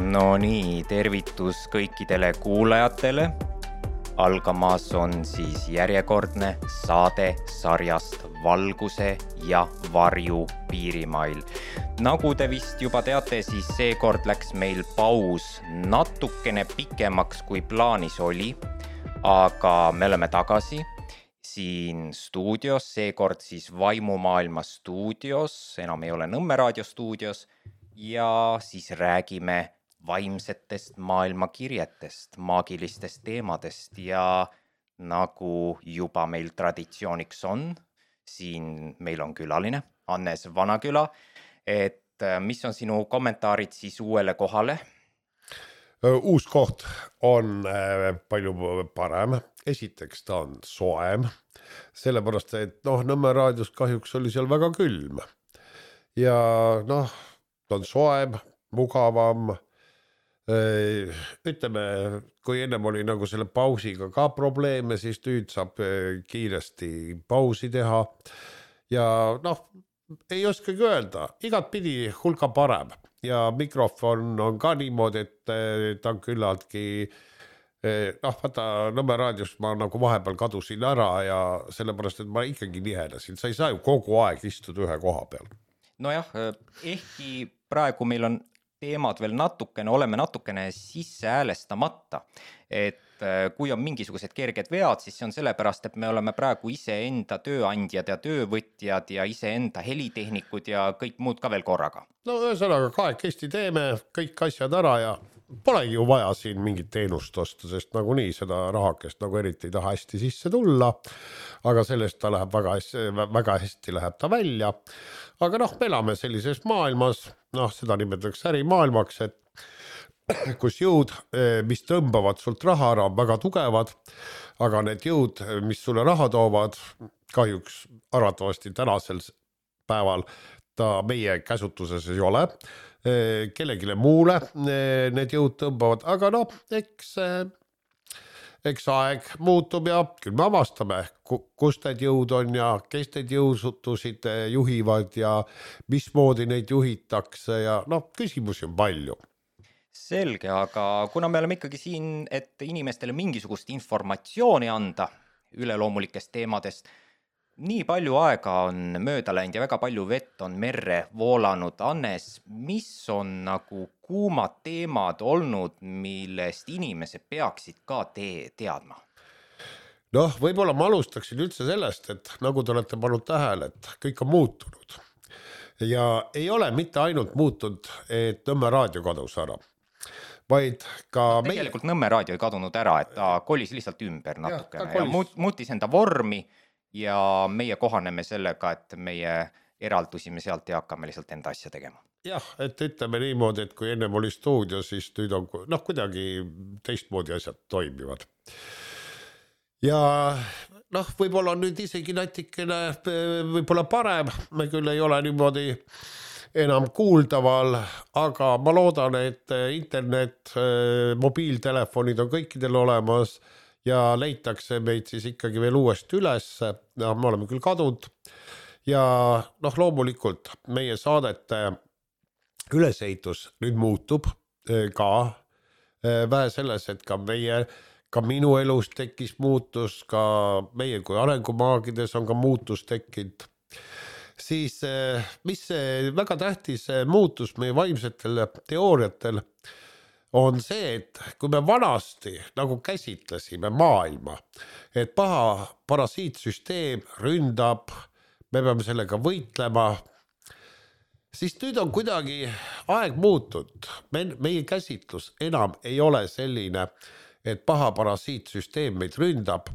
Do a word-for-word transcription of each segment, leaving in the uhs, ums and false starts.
No nii, tervitus kõikidele kuulajatele. Algamas on siis järjekordne saade sarjast Valguse ja varju piirimail. Nagu te vist juba teate, siis seekord läks meil paus natukene pikemaks kui plaanis oli, aga me oleme tagasi siin stuudios, seekord siis Vaimumaailma stuudios, enam ei ole Nõmme raadio stuudios, ja siis räägime vaimsetest maailmakirjetest, maagilistest teemadest ja nagu juba meil traditsiooniks on, siin meil on külaline, Hannes Vanaküla, et mis on sinu kommentaarid siis uuele kohale? Uus koht on palju parem, esiteks ta on soem, sellepärast, et noh, Nõmme raadios kahjuks oli seal väga külm ja noh, ta on soem, mugavam. Ütleme, kui ennem oli nagu selle pausiga ka probleeme, siis nüüd saab kiiresti pausi teha ja noh, ei oskagi öelda, igat pidi hulka parem ja mikrofon on ka niimoodi, et ta on küllaltki noh, vaata Nõmme raadios ma nagu vahepeal kadusin ära ja sellepärast, et ma ikkagi nihedasin, sa ei saa ju kogu aeg istuda ühe koha peal. Nojah, ehkki praegu meil on teemad veel natukene, oleme natukene sisse häälestamata, et kui on mingisugused kerged vead, siis see on sellepärast, et me oleme praegu ise enda tööandjad ja töövõtjad ja ise enda helitehnikud ja kõik muud ka veel korraga. No ühesõnaga kahekesti teeme kõik asjad ära ja polegi ju vaja siin mingit teenust osta, sest nagu nii seda rahakest nagu eriti ei taha hästi sisse tulla, aga sellest ta läheb väga hästi, väga hästi läheb ta välja. Aga noh, me elame sellises maailmas, noh, seda nimetatakse ärimaailmaks, et kus jõud, mis tõmbavad sult raha ära, on väga tugevad, aga need jõud, mis sulle raha toovad, kahjuks arvatavasti tänasel päeval ta meie käsutuses ei ole, kellegile muule need jõud tõmbavad, aga noh, eks, eks aeg muutub ja küll me avastame, kus need jõud on ja kes need jõusutusid juhivad ja mismoodi neid juhitakse ja noh, küsimusi on palju. Selge, aga kuna me oleme ikkagi siin, et inimestele mingisugust informatsiooni anda üleloomulikest teemadest, nii palju aega on mööda läinud ja väga palju vett on merre voolanud. Hannes, mis on nagu kuumad teemad olnud, millest inimesed peaksid ka te- teadma? Noh, võib-olla ma alustaksin üldse sellest, et nagu te olete pannud tähele, et kõik on muutunud. Ja ei ole mitte ainult muutunud, et Nõmme raadio kadus ära, vaid ka no, tegelikult meie... Nõmme raadio ei kadunud ära, et ta kolis lihtsalt ümber natukene ja, ja muut, muutis enda vormi ja meie kohaneme sellega, et meie eraldusime sealt ja hakkame lihtsalt enda asja tegema. Jah, et ütleme niimoodi, et kui ennem oli stuudio, siis nüüd on noh, kuidagi teistmoodi asjad toimivad. Ja noh, võib-olla on nüüd isegi natikene võib-olla parem, me küll ei ole niimoodi enam kuuldaval, aga ma loodan, et internet, mobiiltelefonid on kõikidel olemas ja leitakse meid siis ikkagi veel uuesti üles, ja me oleme küll kadunud ja noh, loomulikult meie saadete ülesehitus nüüd muutub ka vähe selles, et ka meie, ka minu elus tekkis muutus, ka meie kui arengumaagides on ka muutus tekkinud, siis mis see väga tähtis muutus meie vaimsetel teooriatel on see, et kui me vanasti nagu käsitlesime maailma, et paha parasiitsüsteem ründab, me peame sellega võitlema, siis nüüd on kuidagi aeg muutud. Me, meie käsitlus enam ei ole selline, et paha parasiitsüsteem meid ründab,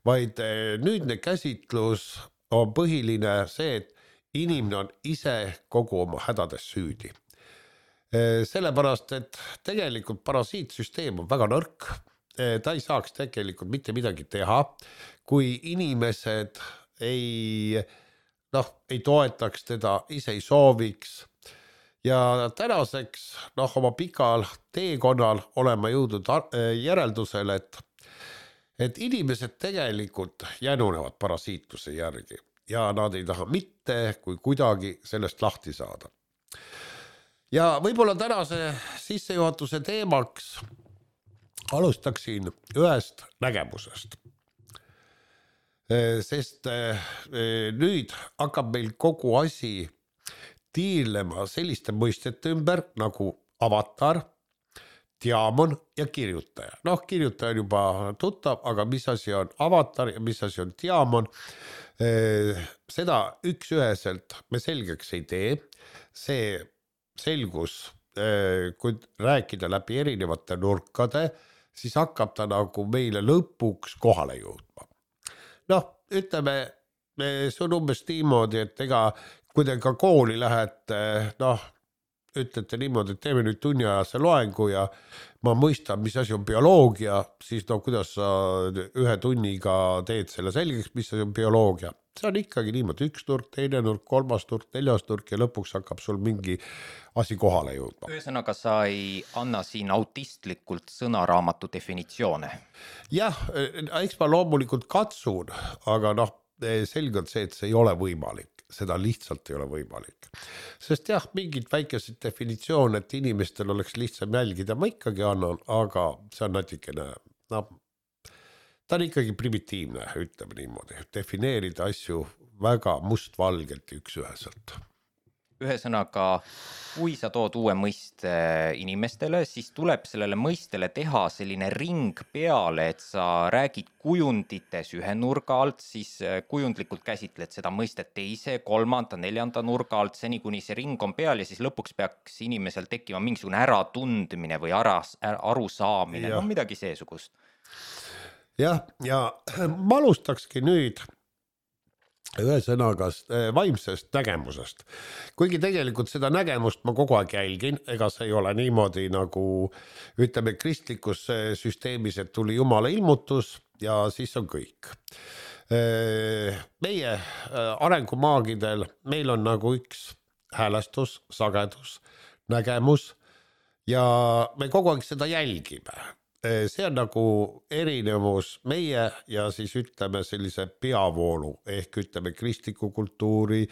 vaid nüüdne käsitlus on põhiline see, et inimene on ise kogu oma hädades süüdi. Sellepärast, et tegelikult parasiitsüsteem on väga nõrk, ta ei saaks tegelikult mitte midagi teha, kui inimesed ei, noh, ei toetaks teda, ise ei sooviks ja tänaseks noh, oma pikal teekonnal oleme jõudnud järeldusele, et, et inimesed tegelikult jänunevad parasiitluse järgi ja nad ei taha mitte kui kuidagi sellest lahti saada. Ja võib-olla tänase sissejuhatuse teemaks alustaksin ühest nägemusest. Sest nüüd hakkab meil kogu asi tiirlema selliste mõistete ümber nagu avatar, diamon ja kirjutaja. Noh, kirjutaja on juba tuttav, aga mis asi on avatar ja mis asi on diamon, seda üks üheselt me selgeks ei tee. See selgus, kui rääkida läbi erinevate nurkade, siis hakkab ta nagu meile lõpuks kohale jõudma. Noh, ütleme, see on umbes niimoodi, et ega kui te ka kooli lähete, noh, ütlete niimoodi, et teeme nüüd tunniajase loengu ja ma mõistan, mis asi on bioloogia, siis no kuidas sa ühe tunniga teed selle selgeks, mis asi on bioloogia. See on ikkagi niimoodi üks nurk, teine nurk, kolmas nurk, neljas nurk ja lõpuks hakkab sul mingi asi kohale jõudma. Ühesõnaga sa ei anna siin autistlikult sõnaraamatu definitsioone. Jah, eks ma loomulikult katsun, aga noh, selgelt see, et see ei ole võimalik. Seda lihtsalt ei ole võimalik. Sest jah, mingid väikesed definitsioon, et inimestel oleks lihtsam jälgida, ma ikkagi annan, aga see on natikene, no, ta on ikkagi primitiivne, ütleme niimoodi, defineerida asju väga mustvalgelt ja üks üheselt. Ühesõnaga, kui sa tood uue mõiste inimestele, siis tuleb sellele mõistele teha selline ring peale, et sa räägid kujundites ühe nurga alt, siis kujundlikult käsitled seda mõistet teise, kolmanda, neljanda nurga alt, seni kuni see ring on peal ja siis lõpuks peaks inimesel tekkima mingisugune äratundmine või aras, arusaamine, no midagi seesugust. Jah, ja ma alustakski nüüd ühesõnaga vaimsest nägemusest. Kuigi tegelikult seda nägemust ma kogu aeg jälgin, ega see ei ole niimoodi nagu ütleme kristlikus süsteemis, et tuli Jumala ilmutus ja siis on kõik. Meie arengumaagidel meil on nagu üks häälestus, sagedus, nägemus ja me kogu aeg seda jälgime. See on nagu erinevus meie ja siis ütleme sellise peavoolu ehk ütleme kristliku kultuuri,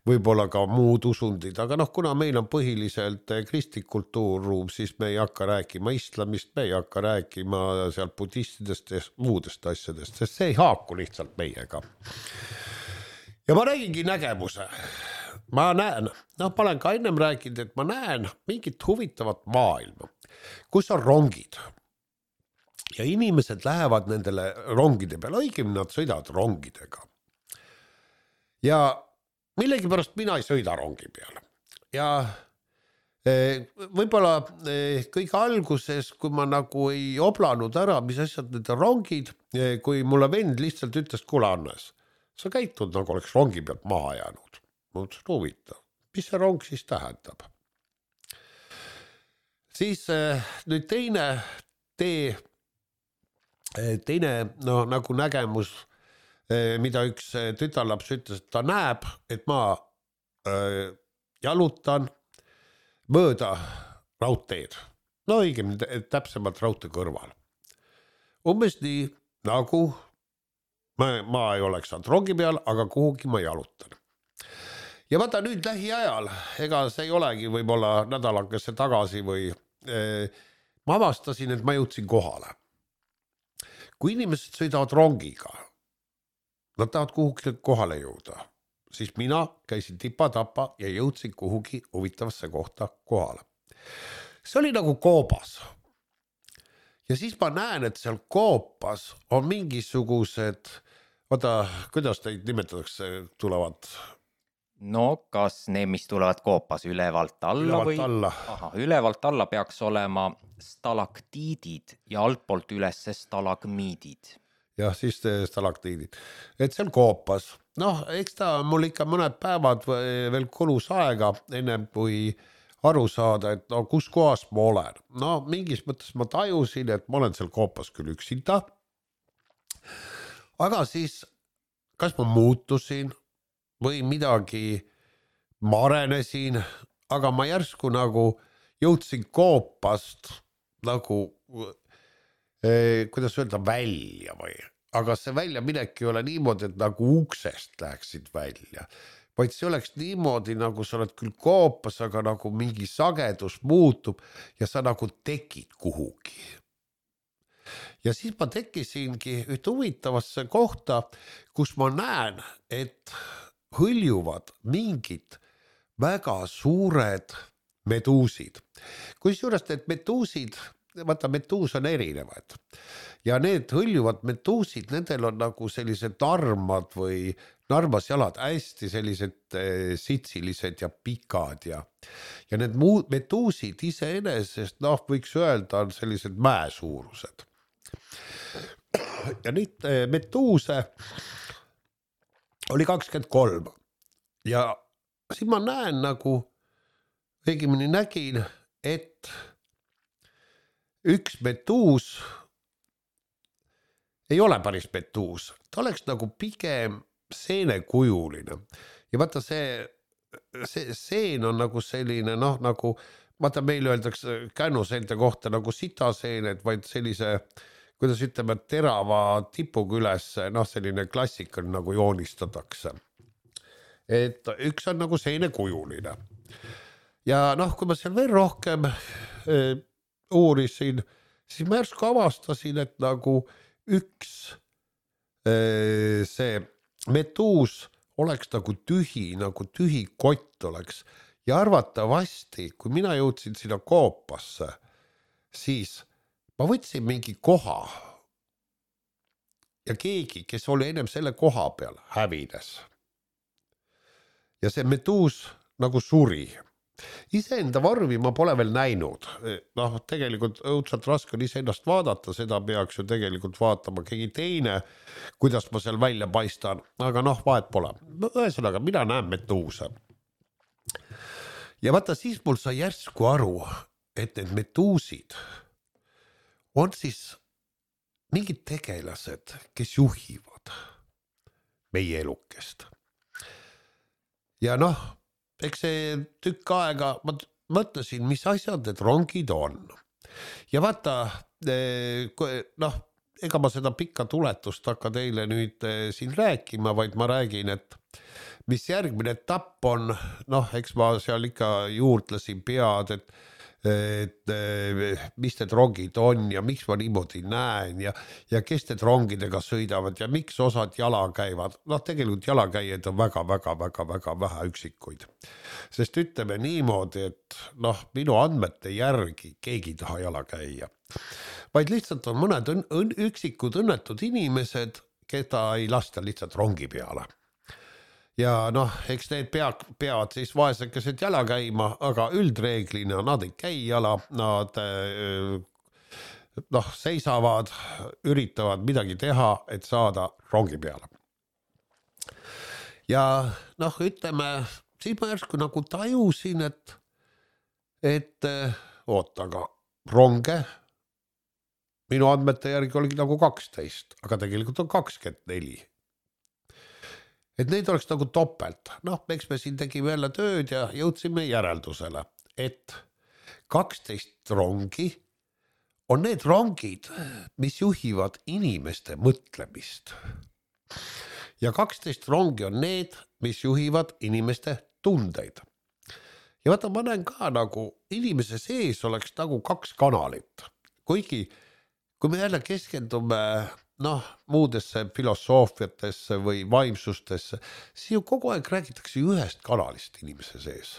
võib-olla ka muud usundid, aga noh, kuna meil on põhiliselt kristlik kultuurruum, siis me ei hakka rääkima islamist, me ei hakka rääkima sealt budistidest ja muudest asjadest, sest see ei haaku lihtsalt meiega. Ja ma räägingi nägemuse. Ma näen, noh, ma olen ka ennem rääkinud, et ma näen mingit huvitavat maailma, kus on rongid. Ja inimesed lähevad nendele rongide peale, õigemini nad sõidavad rongidega. Ja millegipärast mina ei sõida rongi peale. Ja võib-olla kõige alguses, kui ma nagu ei oblanud ära, mis asjad need rongid, kui mulle vend lihtsalt ütles, kuule Annes, sa käitud nagu oleks rongi pealt maha jäänud. Ma mõtlesin, huvitav, mis see rong siis tähendab? Siis nüüd teine tee, teine no, nagu nägemus, mida üks tütarlaps ütles, et ta näeb, et ma äh, jalutan mööda raudteed. No õigemini täpsemalt raudtee kõrval. Umbes nii, nagu ma, ma ei oleks saanud rongi peal, aga kuhugi ma jalutan. Ja vaata nüüd lähiajal, ega see ei olegi võib-olla nädalakese tagasi või äh, ma avastasin, et ma jõudsin kohale. Kui inimesed sõidavad rongiga, nad tahavad kuhugi kohale jõuda, siis mina käisin tipa-tapa ja jõudsin kuhugi huvitavasse kohta kohale. See oli nagu koobas. Ja siis ma näen, et seal koopas on mingisugused, vaata, kuidas neid nimetatakse, tulevad? No kas need, mis tulevad koopas ülevalt alla ülevalt või? Alla. Aha, ülevalt alla peaks olema stalaktiidid ja altpoolt üles stalagmiidid. Jah, siis stalaktiidid. Et seal koopas. Noh, eks ta mul ikka mõned päevad veel kulus aega ennem kui aru saada, et no kus kohas ma olen. No mingis mõttes ma tajusin, et ma olen seal koopas küll üksinda. Aga siis, kas ma muutusin või midagi ma arenesin, aga ma järsku nagu jõudsin koopast nagu, eh, kuidas öelda, välja või. Aga see välja minek ei ole niimoodi, et nagu uksest läheksid välja, vaid see oleks niimoodi, nagu sa oled küll koopas, aga nagu mingi sagedus muutub ja sa nagu tekid kuhugi. Ja siis ma tekkisingi ühte huvitavasse kohta, kus ma näen, et hõljuvad mingid väga suured meduusid. Kusjuures need meduusid, vaata meduus on erinevad ja need hõljuvad meduusid, nendel on nagu sellised narmad või narmasjalad hästi sellised sitsilised ja pikad ja, ja need muud meduusid iseenesest, noh, võiks öelda, on sellised mäesuurused. Ja nüüd meduuse oli kakskümmend kolm ja siis ma näen nagu, õigemini nägin, et üks meduus ei ole päris meduus, ta oleks nagu pigem seenekujuline ja vaata see, see seen on nagu selline, noh, nagu vaata meil öeldakse kännuseente kohta nagu sitaseened, vaid sellise, kuidas ütleme, terava tipuga üles, noh, selline klassika nagu joonistatakse. Et üks on nagu seenekujuline ja noh, kui ma seal veel rohkem äh, uurisin, siis ma järsku avastasin, et nagu üks äh, see meduus oleks nagu tühi, nagu tühi kott oleks ja arvatavasti, kui mina jõudsin sinna koopasse, siis ma võtsin mingi koha ja keegi, kes oli ennem selle koha peal, hävines. Ja see meduus nagu suri. Iseenda varvi ma pole veel näinud. Noh, tegelikult õudselt raske on iseennast vaadata, seda peaks ju tegelikult vaatama keegi teine, kuidas ma seal välja paistan, aga noh, vahet pole. Ühesõnaga, mina näen meduuse. Ja vaata, siis mul sai järsku aru, et need meduusid on siis mingid tegelased, kes juhivad meie elukest. Ja noh, eks see tükk aega ma mõtlesin, mis asjad need rongid on. Ja vaata, noh, ega ma seda pikka tuletust hakka teile nüüd siin rääkima, vaid ma räägin, et mis järgmine etapp on, noh, eks ma seal ikka juurtlesin pead, et et mis need rongid on ja miks ma niimoodi näen ja, ja kes need rongidega sõidavad ja miks osad jala käivad. Noh, tegelikult jalakäijaid on väga, väga, väga, väga vähe üksikuid. Sest ütleme niimoodi, et noh, minu andmete järgi keegi ei taha jala käia. Vaid lihtsalt on mõned õn, õn, üksikud õnnetud inimesed, keda ei lasta lihtsalt rongi peale. Ja noh, eks need pead, peavad siis vaesekesed jala käima, aga üldreeglina nad ei käi jala, nad noh, seisavad, üritavad midagi teha, et saada rongi peale. Ja noh, ütleme, siis ma järsku nagu tajusin, et, et oota, aga ronge minu andmete järgi oligi nagu kaksteist, aga tegelikult on kakskümmend neli. Et neid oleks nagu topelt. Noh, eks me siin tegime jälle tööd ja jõudsime järeldusele, et kaksteist rongi on need rongid, mis juhivad inimeste mõtlemist. Ja kaksteist rongi on need, mis juhivad inimeste tundeid. Ja vaata, ma näen ka nagu inimese sees oleks nagu kaks kanalit. Kuigi, kui me jälle keskendume noh, muudesse filosoofiatesse või vaimsustesse, siis ju kogu aeg räägitakse ühest kanalist inimese sees.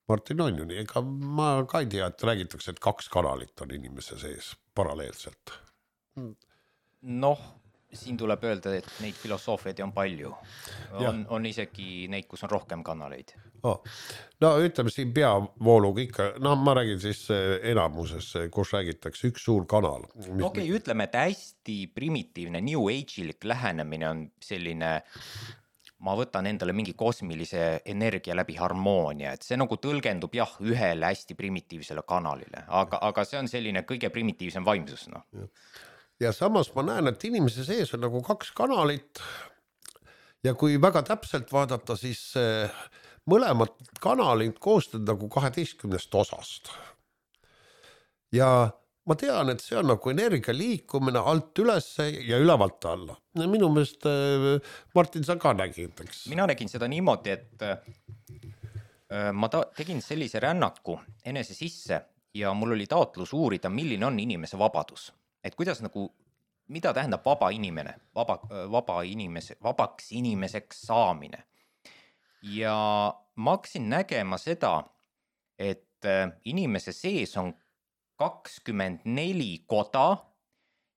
Martin on ju nii, ega ma ka ei tea, et räägitakse, et kaks kanalit on inimese sees paralleelselt. Noh, siin tuleb öelda, et neid filosoofiaid on palju. On, on isegi neid, kus on rohkem kanaleid. Oh. No ütleme siin peavooluga ikka, no ma räägin siis enamuses, kus räägitakse üks suur kanal. Okei, okay, ütleme, et hästi primitiivne New Age-ilik lähenemine on selline, ma võtan endale mingi kosmilise energia läbi harmoonia, et see nagu tõlgendub jah, ühele hästi primitiivsele kanalile, aga, aga see on selline kõige primitiivsem vaimsus. No. Ja samas ma näen, et inimese sees on nagu kaks kanalit ja kui väga täpselt vaadata, siis mõlemad kanalid koostavad nagu kaheteistkümnest osast. Ja ma tean, et see on nagu energia liikumine alt ülesse ja ülevalt alla. Minu meelest Martin, sa ka nägid, eks? Mina nägin seda niimoodi, et ma ta- tegin sellise rännaku enese sisse ja mul oli taotlus uurida, milline on inimese vabadus. Et kuidas nagu, mida tähendab vaba inimene, vaba, vaba inimese, vabaks inimeseks saamine. Ja ma hakkasin nägema seda, et inimese sees on kakskümmend neli koda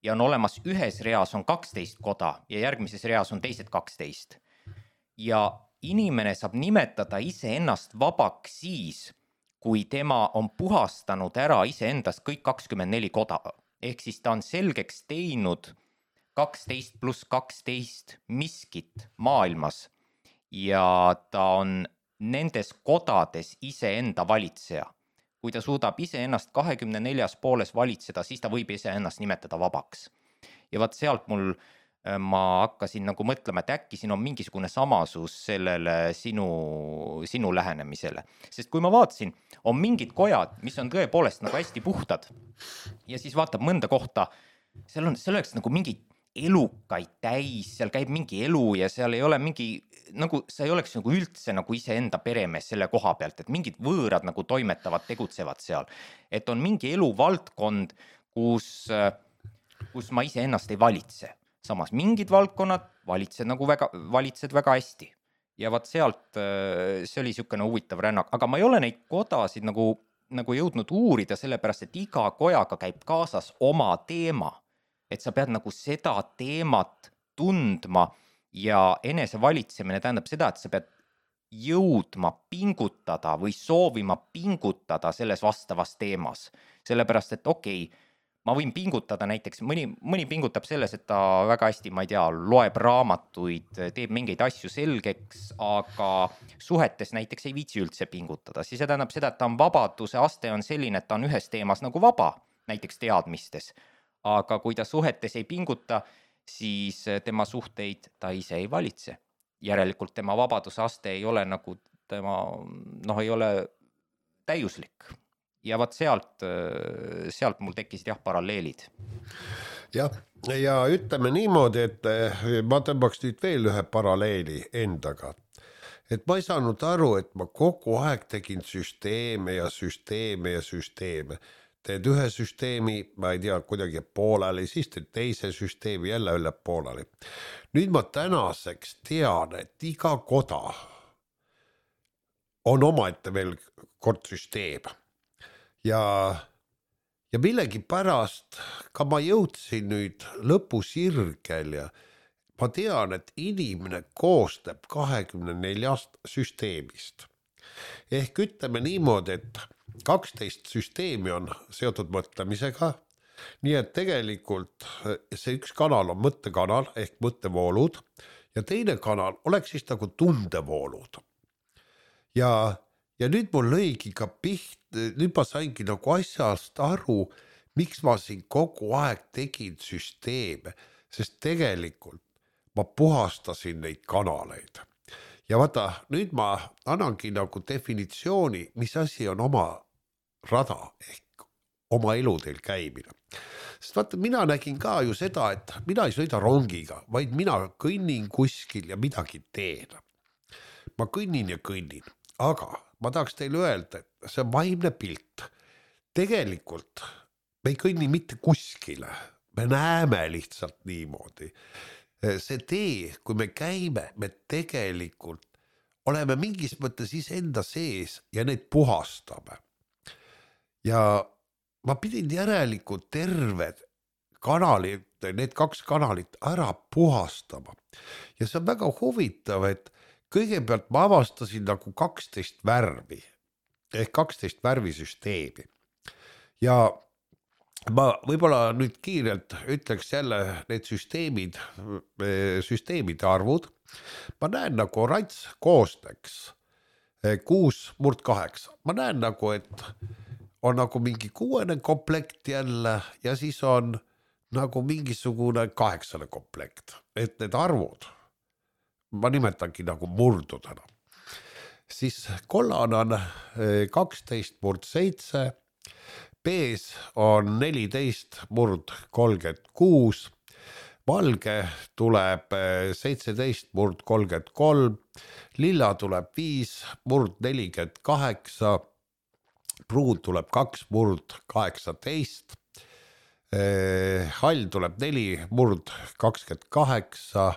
ja on olemas ühes reas on kaksteist koda ja järgmises reas on teised kaksteist. Ja inimene saab nimetada iseennast vabaks siis, kui tema on puhastanud ära iseendast kõik kakskümmend neli koda. Ehk siis ta on selgeks teinud kaksteist pluss kaksteist miskit maailmas ja ta on nendes kodades iseenda valitseja. Kui ta suudab iseennast kahekümne neljas pooles valitseda, siis ta võib iseennast nimetada vabaks. Ja vaat sealt mul ma hakkasin nagu mõtlema, et äkki siin on mingisugune samasus sellele sinu, sinu lähenemisele. Sest kui ma vaatasin, on mingid kojad, mis on tõepoolest nagu hästi puhtad ja siis vaatab mõnda kohta, seal on, seal oleks nagu mingi elukaid täis, seal käib mingi elu ja seal ei ole mingi, nagu sa ei oleks nagu üldse nagu iseenda peremees selle koha pealt, et mingid võõrad nagu toimetavad, tegutsevad seal. Et on mingi eluvaldkond, kus, kus ma iseennast ei valitse. Samas mingid valdkonnad valitsed nagu väga, valitsed väga hästi. Ja vaat sealt see oli siukene huvitav rännak, aga ma ei ole neid kodasid nagu, nagu jõudnud uurida, sellepärast, et iga kojaga käib kaasas oma teema. Et sa pead nagu seda teemat tundma ja enese valitsemine tähendab seda, et sa pead jõudma pingutada või soovima pingutada selles vastavas teemas. Sellepärast, et okei, okay, ma võin pingutada näiteks, mõni, mõni pingutab selles, et ta väga hästi, ma ei tea, loeb raamatuid, teeb mingeid asju selgeks, aga suhetes näiteks ei viitsi üldse pingutada. Siis see tähendab seda, et ta on vabaduse aste on selline, et ta on ühes teemas nagu vaba, näiteks teadmistes. Aga kui ta suhetes ei pinguta, siis tema suhteid ta ise ei valitse. Järelikult tema vabaduse aste ei ole nagu tema, noh, ei ole täiuslik. Ja vaat sealt, sealt mul tekkisid jah paralleelid. Jah, ja ütleme niimoodi, et ma tõmbaks nüüd veel ühe paralleeli endaga. Et ma ei saanud aru, et ma kogu aeg tegin süsteeme ja süsteeme ja süsteeme. Teed ühe süsteemi, ma ei tea, kuidagi pooleli, siis teed teise süsteemi jälle üle pooleli. Nüüd ma tänaseks tean, et iga koda on omaette veel kord süsteem. Ja, ja millegi pärast ka ma jõudsin nüüd lõpusirgel ja ma tean, et inimene koostab kahekümne neljast süsteemist. Ehk ütleme niimoodi, et kaksteist süsteemi on seotud mõtlemisega, nii et tegelikult see üks kanal on mõttekanal ehk mõttevoolud ja teine kanal oleks siis nagu tundevoolud. Ja Ja nüüd mul lõigi ka piht, nüüd ma saingi nagu asjast aru, miks ma siin kogu aeg tegin süsteeme, sest tegelikult ma puhastasin neid kanaleid. Ja vaata, nüüd ma annangi nagu definitsiooni, mis asi on oma rada ehk oma eludel käimine. Sest vaata, mina nägin ka ju seda, et mina ei sõida rongiga, vaid mina kõnnin kuskil ja midagi teen. Ma kõnnin ja kõnnin, aga ma tahaks teile öelda, et see vaimne pilt. Tegelikult me ei kõnni mitte kuskile, me näeme lihtsalt niimoodi. See tee, kui me käime, me tegelikult oleme mingis mõttes iseenda sees ja neid puhastame. Ja ma pidin järelikult terved kanalid, need kaks kanalit ära puhastama. Ja see on väga huvitav, et kõigepealt ma avastasin nagu kaksteist värvi ehk kaksteist värvisüsteemi ja ma võib-olla nüüd kiirelt ütleks jälle need süsteemid, süsteemide arvud. Ma näen nagu oranž koosteks kuus murd kaheksa. Ma näen nagu, et on nagu mingi kuuene komplekt jälle ja siis on nagu mingisugune kaheksane komplekt, et need arvud ma nimetangi nagu murdudena. Siis kollane on kaksteist murd seitse, B-s on neliteist murd kolmkümmend kuus, valge tuleb seitseteist murd kolmkümmend kolm, lilla tuleb viis murd nelikümmend kaheksa, pruun tuleb kaks murd kaheksateist, hall tuleb neli murd kakskümmend kaheksa,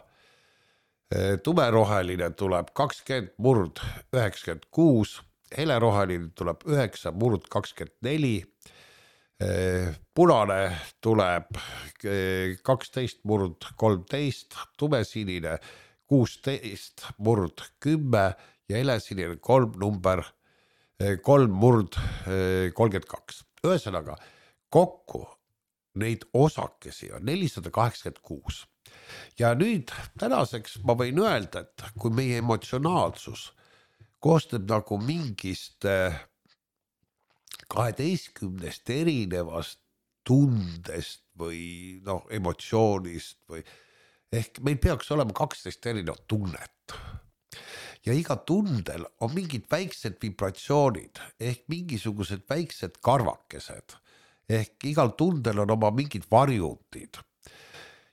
tumeroheline tuleb kakskümmend murd üheksakümmend kuus, heleroheline tuleb üheksa murd kakskümmend neli, punane tuleb kaksteist murd kolmteist, tumesinine kuusteist murd kümme ja helesinine kolm number kolm murd kolmkümmend kaks. Ühesõnaga, kokku neid osakesi on nelisada kaheksakümmend kuus. Ja nüüd tänaseks ma võin öelda, et kui meie emotsionaalsus koostab nagu mingist kaheteistkümnest erinevast tundest või noh, emotsioonist või ehk meil peaks olema kaksteist erinevat tunnet. Ja iga tundel on mingid väiksed vibratsioonid ehk mingisugused väiksed karvakesed ehk igal tundel on oma mingid varjundid.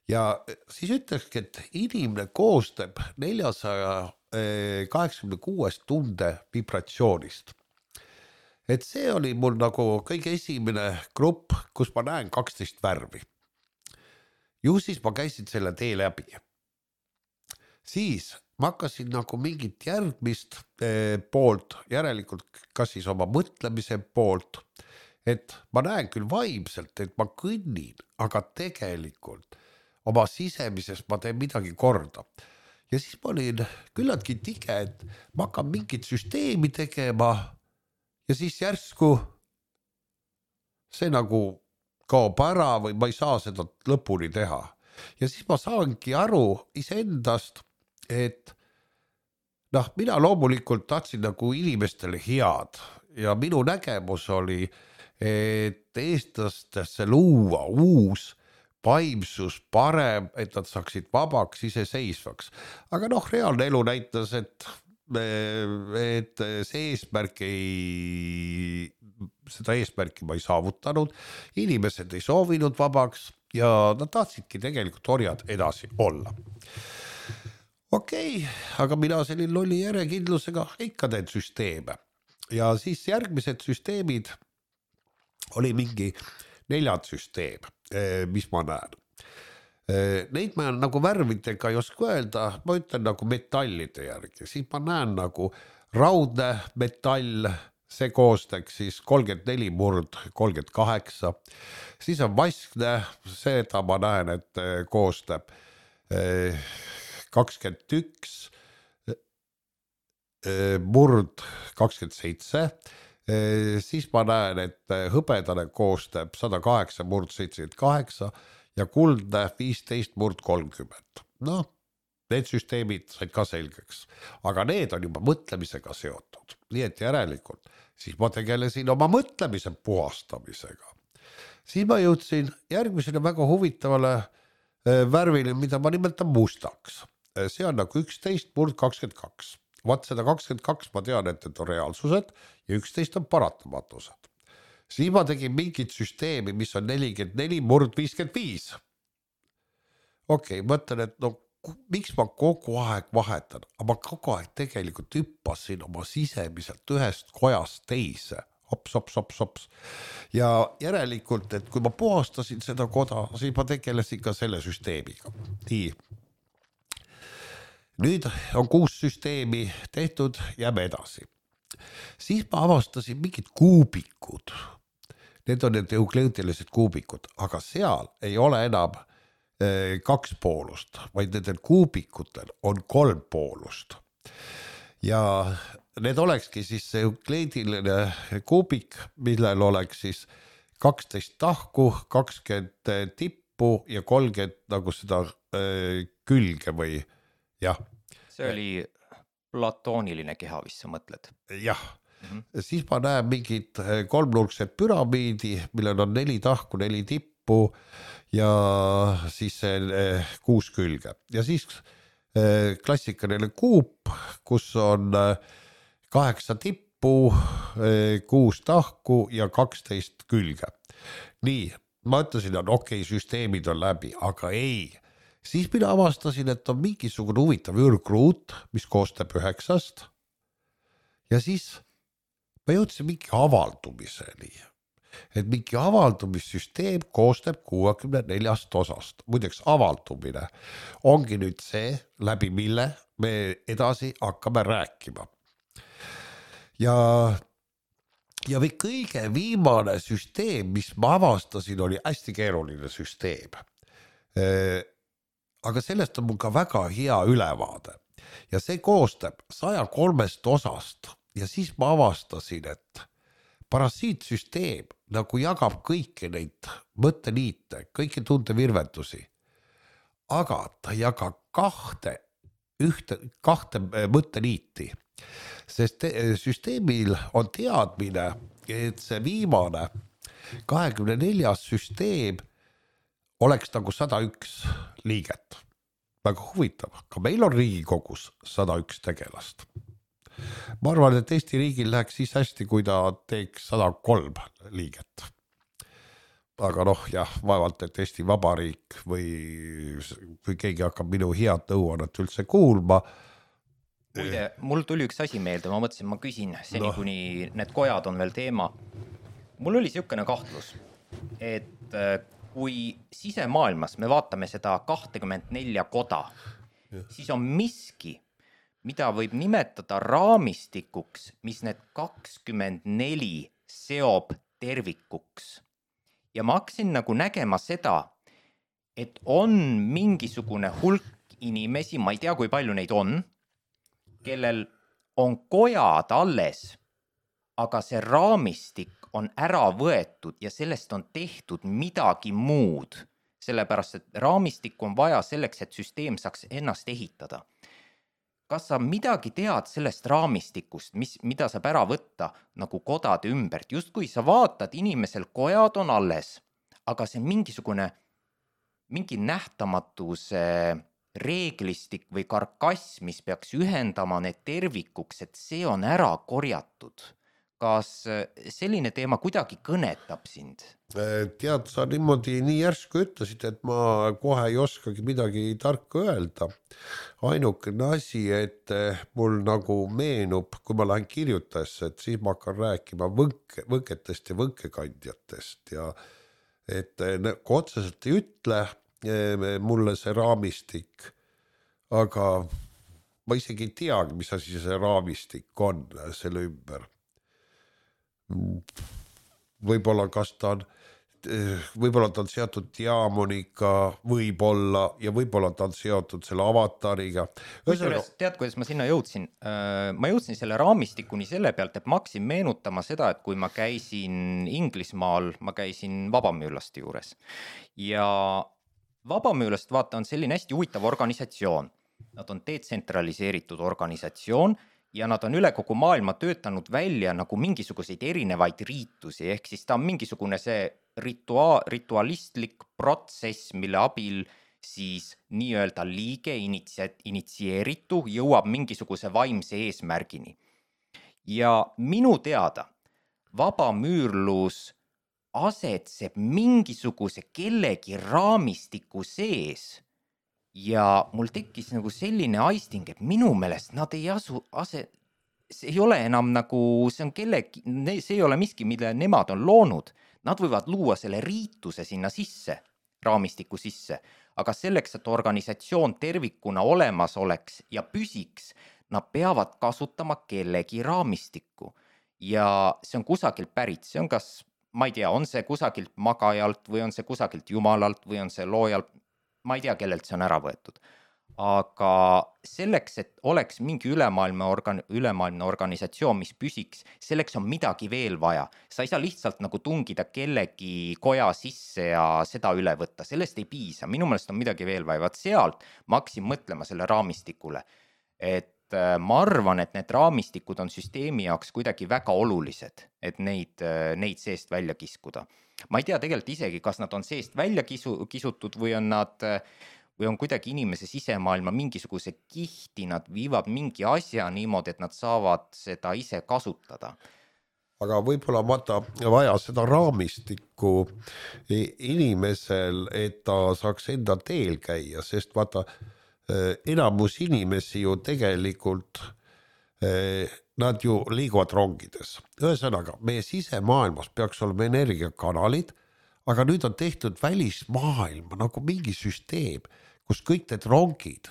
Ja siis ütlekski, et inimene koostab neljasaja kaheksakümne kuuest tunde vibratsioonist. Et see oli mul nagu kõige esimene grupp, kus ma näen kaksteist värvi. Ju siis ma käisin selle tee läbi. Siis ma hakkasin nagu mingit järgmist poolt, järelikult kas siis oma mõtlemise poolt, et ma näen küll vaimselt, et ma kõnnin, aga tegelikult oma sisemises ma teen midagi korda. Ja siis ma olin küllaltki tige, et ma hakkan mingit süsteemi tegema ja siis järsku see nagu kaob ära või ma ei saa seda lõpuni teha. Ja siis ma saangi aru iseendast, et noh, mina loomulikult tahtsin nagu inimestele head ja minu nägemus oli, et eestlastesse luua uus vaimsus parem, et nad saaksid vabaks, iseseisvaks. Aga noh, reaalne elu näitas, et, et see eesmärk ei, seda eesmärki ma ei saavutanud, inimesed ei soovinud vabaks ja nad tahtsidki tegelikult orjad edasi olla. Okei, aga mina selline lolli järjekindlusega ikka teen süsteeme. Ja siis järgmised süsteemid oli mingi neljad süsteem, mis ma näen. Neid ma nagu värvidega ei oska öelda, ma ütlen nagu metallide järgi. Siis ma näen nagu raudne metall, see koostaks siis kolmkümmend neli murd kolmkümmend kaheksa. Siis on vaskne, seda ma näen, et koostab kakskümmend üks murd kakskümmend seitse. Siis ma näen, et hõbedane koostab sada kaheksa murd seitsekümmend kaheksa ja kuldne viisteist murd kolmkümmend. Noh, need süsteemid said ka selgeks, aga need on juba mõtlemisega seotud. Nii et järelikult, siis ma tegelesin oma mõtlemise puhastamisega. Siis ma jõudsin järgmisele väga huvitavale värvile, mida ma nimetan mustaks. See on nagu üksteist murd kakskümmend kaks. Vaat seda kakskümmend kaks ma tean, et need on reaalsused ja üksteist on paratamatused. Siis ma tegin mingit süsteemi, mis on nelikümmend neli murd viiskümmend viis. Okei, mõtlen, et no miks ma kogu aeg vahetan, aga ma kogu aeg tegelikult hüppasin oma sisemiselt ühest kojast teise. Hops, hops, hops, hops. Ja järelikult, et kui ma puhastasin seda koda, siis ma tegelesin ka selle süsteemiga. Nii. Nüüd on kuus süsteemi tehtud, jääme edasi. Siis ma avastasin mingid kuubikud. Need on need eukleutilised kuubikud, aga seal ei ole enam eh, kaks poolust, vaid nendel kuubikutel on kolm poolust. Ja need olekski siis see eukleidiline kuubik, millel oleks siis kaksteist tahku, kakskümmend tippu ja kolmkümmend nagu seda eh, külge või jah. See oli platooniline keha, mis sa mõtled. Jah, mm-hmm. Siis ma näen mingid kolmnurksed püramiidi, millel on neli tahku, neli tippu ja siis kuus külge. Ja siis klassikaline kuup, kus on kaheksa tippu tippu, kuus tahku ja kaksteist külge. Nii, ma ütlesin, et okei, süsteemid on läbi, aga ei. Siis mina avastasin, et on mingisugune huvitav ürgruut, mis koostab üheksast. Ja siis ma jõudsin mingi avaldumiseni. Et mingi avaldumissüsteem koostab kuuekümne neljast osast. Muideks avaldumine ongi nüüd see, läbi mille me edasi hakkame rääkima. Ja, ja või kõige viimane süsteem, mis ma avastasin, oli hästi keeruline süsteem. Aga sellest on mul ka väga hea ülevaade. Ja see koostab saja kolmest osast. Ja siis ma avastasin, et parasiitsüsteem nagu jagab kõiki neid mõtteliite, kõiki tundevirvendusi, aga ta jagab kahte, ühte, kahte mõtteliiti, sest süsteemil on teadmine, et see viimane kahekümne neljas süsteem oleks nagu sada üks liiget. Väga huvitav, ka meil on Riigikogus sada üks tegelast. Ma arvan, et Eesti riigil läheks siis hästi, kui ta teeks sada kolm liiget. Aga noh, jah, vaevalt, et Eesti Vabariik või kui keegi hakkab minu head nõuannet üldse kuulma. Muide, mul tuli üks asi meelde, ma mõtlesin, ma küsin seni, no. Kuni need kojad on veel teema. Mul oli siukene kahtlus, et kui sisemaailmas me vaatame seda kakskümmend neli koda, ja. Siis on miski, mida võib nimetada raamistikuks, mis need kakskümmend neli seob tervikuks. Ja ma hakkasin nagu nägema seda, et on mingisugune hulk inimesi, ma ei tea, kui palju neid on, kellel on kojad alles, aga see raamistik on ära võetud ja sellest on tehtud midagi muud, sellepärast et raamistik on vaja selleks, et süsteem saaks ennast ehitada. Kas sa midagi tead sellest raamistikust, mis, mida saab ära võtta nagu kodade ümbert? Just kui sa vaatad, inimesel kojad on alles, aga see mingisugune, mingi nähtamatuse reeglistik või karkass, mis peaks ühendama need tervikuks, et see on ära korjatud. Kas selline teema kuidagi kõnetab sind? Tead, sa niimoodi nii järsku ütlesid, et ma kohe ei oskagi midagi tarka öelda. Ainukene asi, et mul nagu meenub, kui ma lähen kirjutajasse, et siis ma hakkan rääkima võnke, võnketest ja võnkekandjatest ja et kui otseselt ei ütle mulle see raamistik, aga ma isegi ei teagi, mis asi see raamistik on selle ümber. Võib-olla kas ta on, võib-olla ta on seotud diamoniga, võib-olla ja võib-olla ta on seotud selle avatariga. Kusjuures, tead, kuidas ma sinna jõudsin? Ma jõudsin selle raamistikuni selle pealt, et ma hakkasin meenutama seda, et kui ma käisin Inglismaal, ma käisin Vabamüürlaste juures. Ja Vabamüürlast vaata on selline hästi huvitav organisatsioon. Nad on detsentraliseeritud organisatsioon, ja nad on üle kogu maailma töötanud välja nagu mingisuguseid erinevaid riitusi, ehk siis ta on mingisugune see ritua- ritualistlik protsess, mille abil siis nii-öelda liige initsi- initsieeritu jõuab mingisuguse vaimse eesmärgini. Ja minu teada vabamüürlus asetseb mingisuguse kellegi raamistiku sees. Ja mul tekkis nagu selline aisting, et minu meelest nad ei asu, ase, see ei ole enam nagu, see on kellegi, see ei ole miski, mille nemad on loonud. Nad võivad luua selle riituse sinna sisse, raamistiku sisse, aga selleks, et organisatsioon tervikuna olemas oleks ja püsiks, nad peavad kasutama kellegi raamistikku. Ja see on kusagilt pärit, see on kas, ma ei tea, on see kusagilt magajalt või on see kusagilt jumalalt või on see loojalt, ma ei tea, kellelt see on ära võetud. Aga selleks, et oleks mingi ülemaailmne, organ, ülemaailmne organisatsioon, mis püsiks, selleks on midagi veel vaja. Sa ei saa lihtsalt nagu tungida kellegi koja sisse ja seda üle võtta. Sellest ei piisa. Minu meelest on midagi veel vaja. Vaat sealt ma hakkasin mõtlema selle raamistikule. Et ma arvan, et need raamistikud on süsteemi jaoks kuidagi väga olulised, et neid, neid seest välja kiskuda. Ma ei tea tegelikult isegi, kas nad on seest välja kisu, kisutud või on nad või on kuidagi inimese sisemaailma mingisuguse kihti, nad viivad mingi asja niimoodi, et nad saavad seda ise kasutada. Aga võib-olla vaata vaja seda raamistikku inimesel, et ta saaks enda teel käia, sest vaata enamus inimesi ju tegelikult, nad ju liiguvad rongides. Ühesõnaga, meie sisemaailmas peaks olema energiakanalid, aga nüüd on tehtud välismaailma nagu mingi süsteem, kus kõik need rongid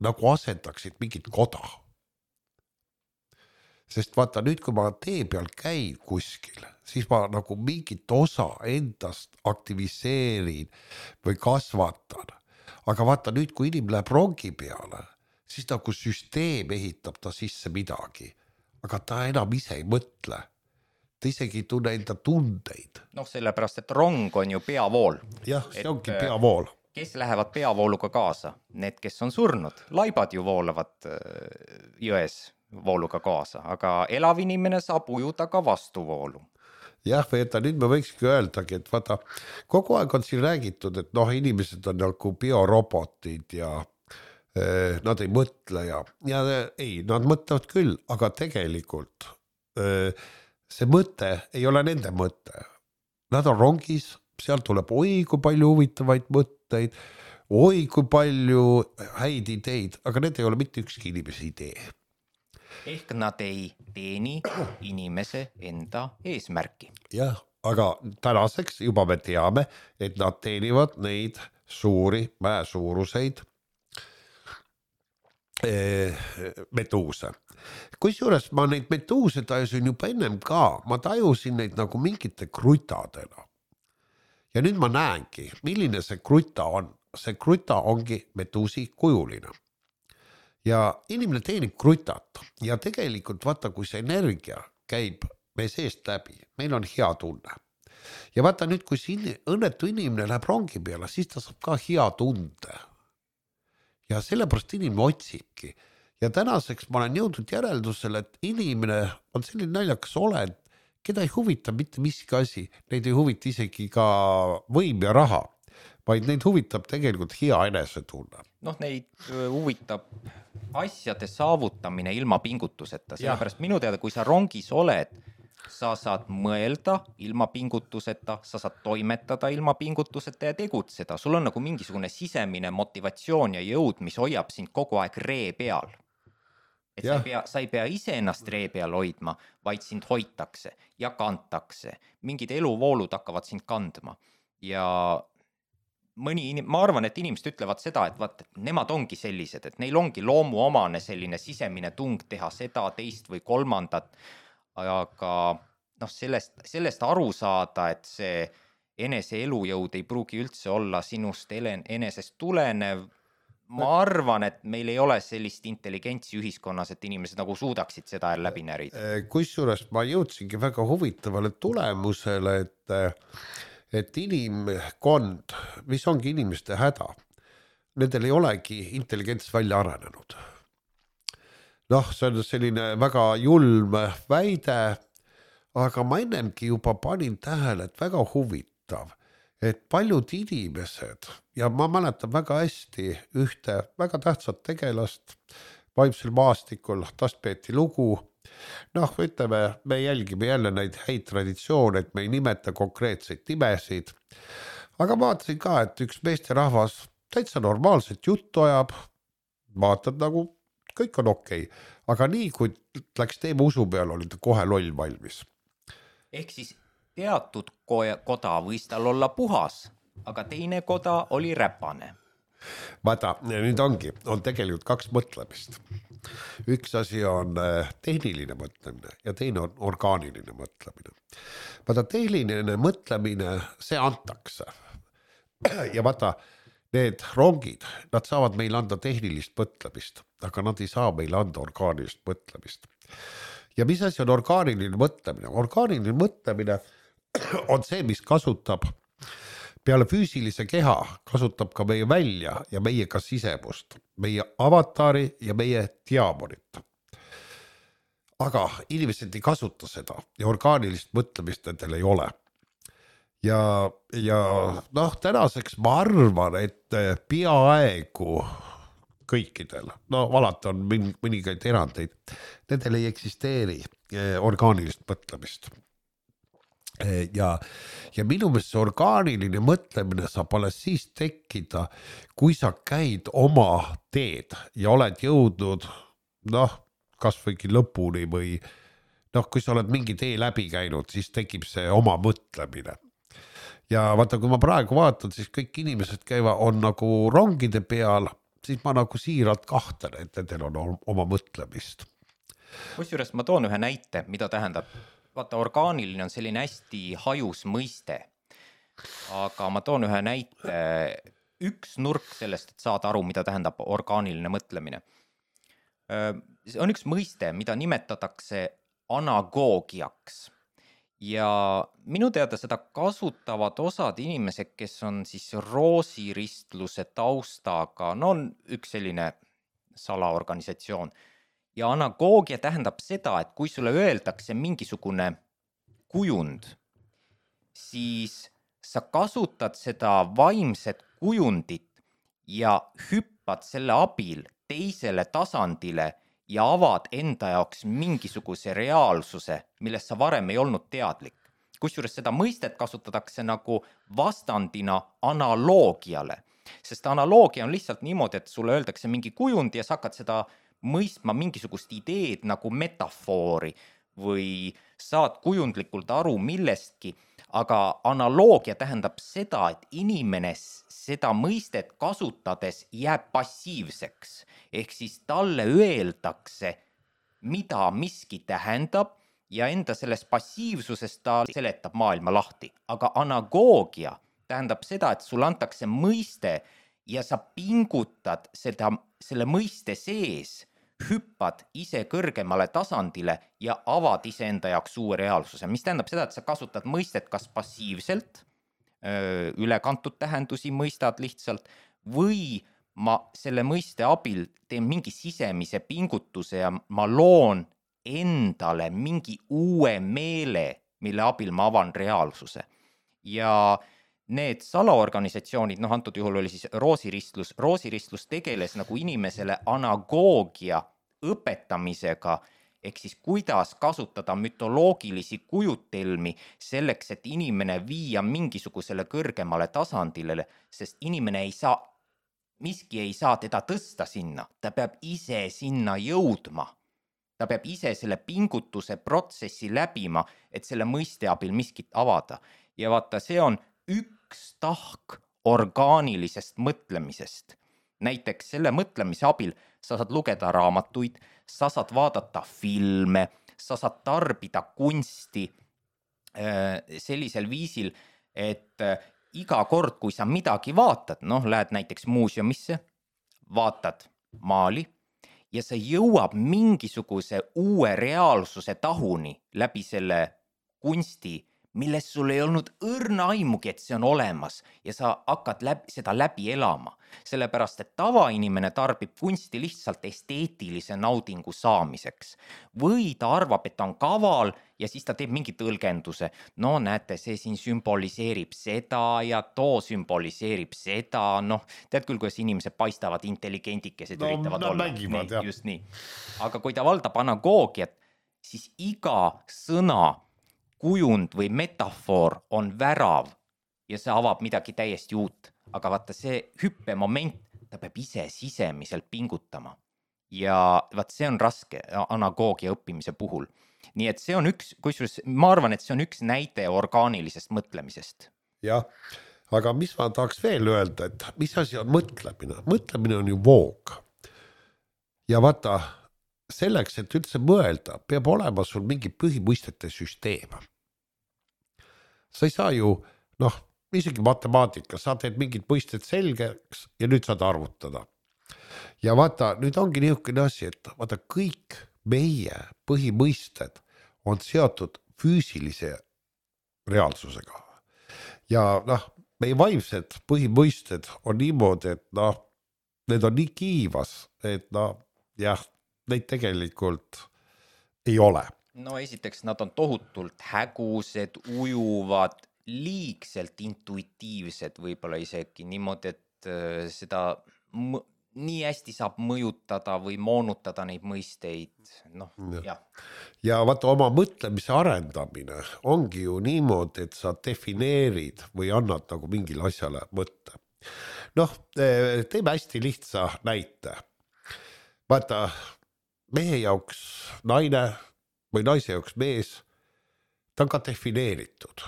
nagu asendaksid mingit koda. Sest vaata nüüd, kui ma tee peal käin kuskil, siis ma nagu mingit osa endast aktiviseerin või kasvatan. Aga vaata nüüd, kui inimene läheb rongi peale, siis nagu süsteem ehitab ta sisse midagi. Aga ta enam ise ei mõtle. Ta isegi ei tunne enda tundeid. Noh, sellepärast, et rong on ju peavool. Jah, see et, ongi peavool. Kes lähevad peavooluga kaasa? Need, kes on surnud. Laibad ju voolavad jões vooluga kaasa, aga elav inimene saab ujuda ka vastuvoolu. Jah, veeta, nüüd me võikski öeldagi, et vaata, kogu aeg on siin räägitud, et noh, inimesed on nagu biorobotid ja eh, nad ei mõtle ja, ja ei, nad mõtlevad küll, aga tegelikult eh, see mõte ei ole nende mõte. Nad on rongis, seal tuleb oi kui palju huvitavaid mõtteid, oi kui palju häid ideid, aga need ei ole mitte ükski inimese idee. Ehk nad ei teeni inimese enda eesmärki. Jah, aga tänaseks juba me teame, et nad teenivad neid suuri mäesuuruseid eh, meduuse. Kusjuures ma neid meduuse tajusin juba ennem ka, ma tajusin neid nagu mingite krutadena. Ja nüüd ma näengi, milline see kruta on. See kruta ongi meduusi kujuline. Ja inimene teenib krutat ja tegelikult vaata, kui see energia käib meie seest läbi, meil on hea tunne. Ja vaata nüüd, kui see õnnetu inimene läheb rongi peale, siis ta saab ka hea tunde. Ja sellepärast inimene otsibki. Ja tänaseks ma olen jõudnud järeldusele, et inimene on selline naljakas olend, keda ei huvita mitte miski asi, neid ei huvita isegi ka võim ja raha, vaid neid huvitab tegelikult hea enesetunne. Noh, neid huvitab asjade saavutamine ilma pingutuseta, sellepärast minu teada, kui sa rongis oled, sa saad mõelda ilma pingutuseta, sa saad toimetada ilma pingutuseta ja tegutseda. Sul on nagu mingisugune sisemine motivatsioon ja jõud, mis hoiab sind kogu aeg ree peal. Et sa ei, pea, sa ei pea ise ennast ree peal hoidma, vaid sind hoitakse ja kantakse. Mingid eluvoolud hakkavad sind kandma ja mõni, ma arvan, et inimesed ütlevad seda, et vaat, et nemad ongi sellised, et neil ongi loomuomane selline sisemine tung teha seda, teist või kolmandat, aga noh, sellest, sellest aru saada, et see enese elujõud ei pruugi üldse olla sinust enesest tulenev. Ma arvan, et meil ei ole sellist intelligentsi ühiskonnas, et inimesed nagu suudaksid seda läbi närida. Kusjuures ma jõudsingi väga huvitavale tulemusele, et et inimkond, mis ongi inimeste häda, nendel ei olegi intelligents välja arenenud. Noh, see on selline väga julm väide, aga ma ennemgi juba panin tähele, et väga huvitav, et paljud inimesed, ja ma mäletan väga hästi ühte väga tähtsat tegelast vaimsel maastikul, tast peeti lugu. Noh, ütleme, me jälgime jälle neid häid traditsioone, et me ei nimeta konkreetseid nimesid. Aga vaatasin ka, et üks meesterahvas täitsa normaalset juttu ajab, vaatad nagu kõik on okei. Aga nii, kui läks teema usu peal, oli ta kohe loll valmis. Ehk siis teatud koda võis tal olla puhas, aga teine koda oli räpane. Vaata, nüüd ongi, on tegelikult kaks mõtlemist. Üks asi on tehniline mõtlemine ja teine on orgaaniline mõtlemine. Vaata, tehniline mõtlemine, see antakse. Ja vaata, need rongid, nad saavad meil anda tehnilist mõtlemist, aga nad ei saa meil anda orgaanilist mõtlemist. Ja mis asi on orgaaniline mõtlemine? Orgaaniline mõtlemine on see, mis kasutab peale füüsilise keha, kasutab ka meie välja ja meie ka sisemust, meie avatari ja meie diamonit. Aga inimesed ei kasuta seda ja orgaanilist mõtlemist nendel ei ole. ja, ja noh, tänaseks ma arvan, et peaaegu kõikidel, no alati on mõningaid erandeid, nendel ei eksisteeri orgaanilist mõtlemist. Ja, ja minu meelest see orgaaniline mõtlemine saab alles siis tekkida, kui sa käid oma teed ja oled jõudnud, noh, kas võigi lõpuni või noh, kui sa oled mingi tee läbi käinud, siis tekib see oma mõtlemine. Ja vaata, kui ma praegu vaatan, siis kõik inimesed käivad, on nagu rongide peal, siis ma nagu siiralt kahtlen, et nendel on oma mõtlemist. Kusjuures ma toon ühe näite, mida tähendab. Vaata, orgaaniline on selline hästi hajus mõiste, aga ma toon ühe näite, üks nurk sellest, et saada aru, mida tähendab orgaaniline mõtlemine. See on üks mõiste, mida nimetatakse anagoogiaks ja minu teada seda kasutavad osad inimesed, kes on siis roosiristluse taustaga, no on üks selline salaorganisatsioon. Ja anagoogia tähendab seda, et kui sulle öeldakse mingisugune kujund, siis sa kasutad seda vaimset kujundit ja hüppad selle abil teisele tasandile ja avad enda jaoks mingisuguse reaalsuse, millest sa varem ei olnud teadlik. Kusjuures seda mõistet kasutatakse nagu vastandina analoogiale, sest analoogia on lihtsalt niimoodi, et sulle öeldakse mingi kujund ja sa hakkad seda mõistma mingisugust ideed nagu metafoori või saad kujundlikult aru millestki, aga analoogia tähendab seda, et inimene seda mõistet kasutades jääb passiivseks, ehk siis talle öeldakse, mida miski tähendab ja enda selles passiivsuses ta seletab maailma lahti. Aga anagoogia tähendab seda, et sulle antakse mõiste ja sa pingutad seda, selle mõiste sees, hüppad ise kõrgemale tasandile ja avad ise enda jaoks uue reaalsuse, mis tähendab seda, et sa kasutad mõistet kas passiivselt, ülekantud tähendusi mõistad lihtsalt, või ma selle mõiste abil teen mingi sisemise pingutuse ja ma loon endale mingi uue meele, mille abil ma avan reaalsuse. Ja need salaorganisatsioonid, noh antud juhul oli siis roosiristlus, roosiristlus tegeles nagu inimesele anagoogia õpetamisega, ehk siis kuidas kasutada mütoloogilisi kujutelmi selleks, et inimene viia mingisugusele kõrgemale tasandile, sest inimene ei saa, miski ei saa teda tõsta sinna, ta peab ise sinna jõudma. Ta peab ise selle pingutuse protsessi läbima, et selle mõiste abil miskit avada. Ja vaata, see on üks tahk orgaanilisest mõtlemisest. Näiteks selle mõtlemise abil sa saad lugeda raamatuid, sa saad vaadata filme, sa saad tarbida kunsti sellisel viisil, et iga kord, kui sa midagi vaatad, noh, lähed näiteks muuseumisse, vaatad maali ja sa jõuab mingisuguse uue reaalsuse tahuni läbi selle kunsti, milles sul ei olnud õrna aimugi, et see on olemas ja sa hakkad läbi, seda läbi elama. Sellepärast, et tavainimene tarbib kunsti lihtsalt esteetilise naudingu saamiseks. Või ta arvab, et ta on kaval ja siis ta teeb mingi tõlgenduse. No näete, see siin sümboliseerib seda ja too sümboliseerib seda. Noh, tead küll, kuidas inimesed paistavad intelligendikesed no, üritavad no, olla. Mängivad, nii, just nii. Aga kui ta valdab anagoogiat, siis iga sõna kujund või metafoor on värav ja see avab midagi täiesti uut. Aga vaata see hüppemoment, ta peab ise sisemiselt pingutama. Ja vaat see on raske anagoogia õppimise puhul. Nii et see on üks, kusjuures ma arvan, et see on üks näide orgaanilisest mõtlemisest. Jah, aga mis ma tahaks veel öelda, et mis asi on mõtlemine? Mõtlemine on ju voog. Ja vaata, selleks, et üldse mõelda, peab olema sul mingi põhimõistete süsteem. Sa ei saa ju, noh, isegi matemaatika, sa teed mingid mõisted selgeks ja nüüd saad arvutada. Ja vaata, nüüd ongi niisugune asi, et vaata kõik meie põhimõisted on seotud füüsilise reaalsusega. Ja noh, meie vaimsed põhimõisted on niimoodi, et noh, need on nii kiivas, et noh, jah, neid tegelikult ei ole. No esiteks nad on tohutult hägused, ujuvad liigselt intuitiivsed võib-olla isegi niimoodi, et äh, seda m- nii hästi saab mõjutada või moonutada neid mõisteid, noh, jah. Ja vaata oma mõtlemise arendamine ongi ju niimoodi, et sa defineerid või annad nagu mingile asjale mõtte. Noh, teeme hästi lihtsa näite. Vaata, mehe jaoks naine või naise jaoks mees, ta on ka defineeritud.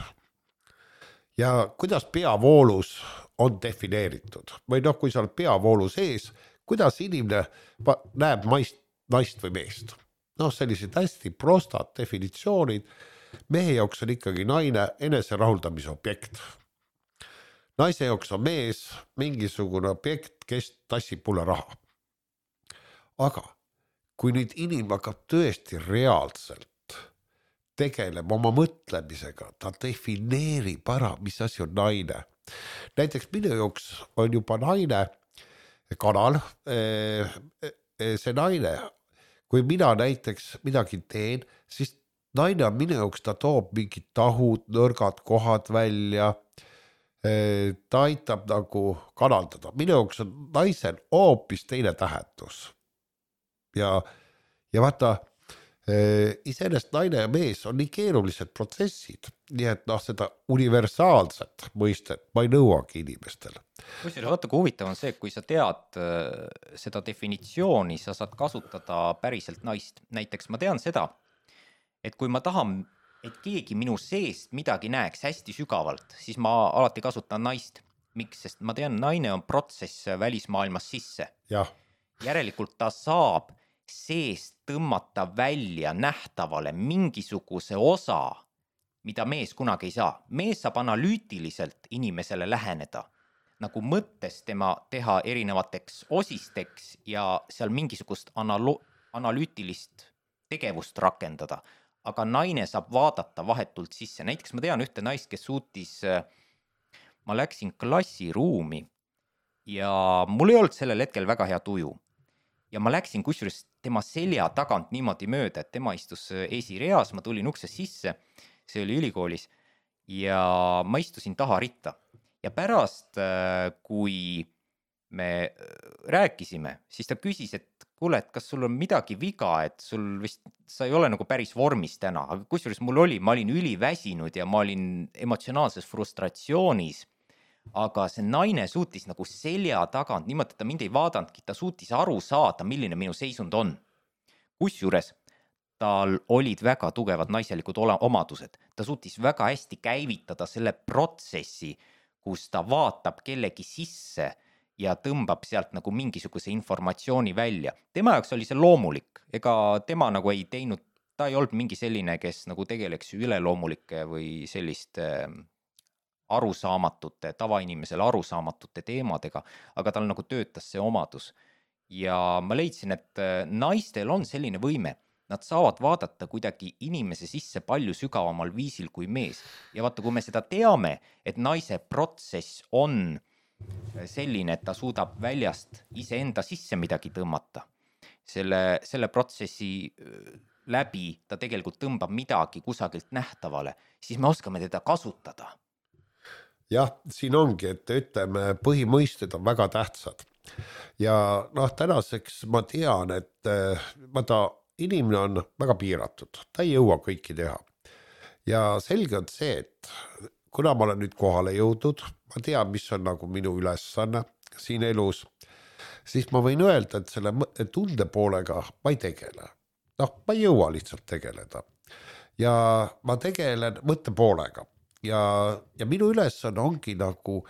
Ja kuidas peavoolus on defineeritud või noh, kui sa oled peavoolu sees, kuidas inimene näeb maist, naist või meest. Noh, sellised hästi prostad definitsioonid. Mehe jaoks on ikkagi naine enese rahuldamise objekt. Naise jaoks on mees mingisugune objekt, kes tassib mulle raha. Aga kui nüüd inimene hakkab tõesti reaalselt tegeleb oma mõtlemisega, ta defineerib ära, mis asi on naine. Näiteks minu jaoks on juba naine kanal, see naine, kui mina näiteks midagi teen, siis naine on minu jaoks, ta toob mingid tahud, nõrgad kohad välja, ta aitab nagu kanaldada. Minu jaoks on naisel hoopis teine tähendus. Ja, ja vaata, iseenesest naine ja mees on nii keerulised protsessid, nii et noh, seda universaalset mõistet ma ei nõuagi inimestele. Kusjuures vaata, kui huvitav on see, kui sa tead seda definitsiooni, sa saad kasutada päriselt naist. Näiteks ma tean seda, et kui ma tahan, et keegi minu seest midagi näeks hästi sügavalt, siis ma alati kasutan naist. Miks? Sest ma tean, naine on protsess välismaailmas sisse. Jah. Järelikult ta saab seest tõmmata välja nähtavale mingisuguse osa, mida mees kunagi ei saa. Mees saab analüütiliselt inimesele läheneda, nagu mõttes tema teha erinevateks osisteks ja seal mingisugust analo- analüütilist tegevust rakendada. Aga naine saab vaadata vahetult sisse. Näiteks ma tean ühte naist, kes suutis, ma läksin klassiruumi ja mul ei olnud sellel hetkel väga hea tuju. Ja ma läksin kusjuures tema selja tagant niimoodi mööda, et tema istus esireas, ma tulin ukse sisse, see oli ülikoolis, ja ma istusin taha ritta. Ja pärast, kui me rääkisime, siis ta küsis, et kuule, et kas sul on midagi viga, et sul vist, sa ei ole nagu päris vormis täna, aga kusjuures mul oli, ma olin üliväsinud ja ma olin emotsionaalses frustratsioonis. Aga see naine suutis nagu selja tagant, niimoodi, et ta mind ei vaadanudki, ta suutis aru saada, milline minu seisund on. Kusjuures tal olid väga tugevad naiselikud omadused. Ta suutis väga hästi käivitada selle protsessi, kus ta vaatab kellegi sisse ja tõmbab sealt nagu mingisuguse informatsiooni välja. Tema jaoks oli see loomulik, ega tema nagu ei teinud, ta ei olnud mingi selline, kes nagu tegeleks üleloomulike või selliste arusaamatute, tavainimesele arusaamatute teemadega, aga tal nagu töötas see omadus. Ja ma leidsin, et naistel on selline võime, nad saavad vaadata kuidagi inimese sisse palju sügavamal viisil kui mees. Ja vaata, kui me seda teame, et naise protsess on selline, et ta suudab väljast iseenda sisse midagi tõmmata, selle, selle protsessi läbi ta tegelikult tõmbab midagi kusagilt nähtavale, siis me oskame teda kasutada. Jah, siin ongi, et ütleme, põhimõisted on väga tähtsad. Ja noh, tänaseks ma tean, et vaata, inimene on väga piiratud, ta ei jõua kõiki teha. Ja selge on see, et kuna ma olen nüüd kohale jõudnud, ma tean, mis on nagu minu ülesanne siin elus, siis ma võin öelda, et selle tunde poolega ma ei tegele. Noh, ma ei jõua lihtsalt tegeleda. Ja ma tegelen mõtte poolega. Ja, ja minu ülesanne ongi nagu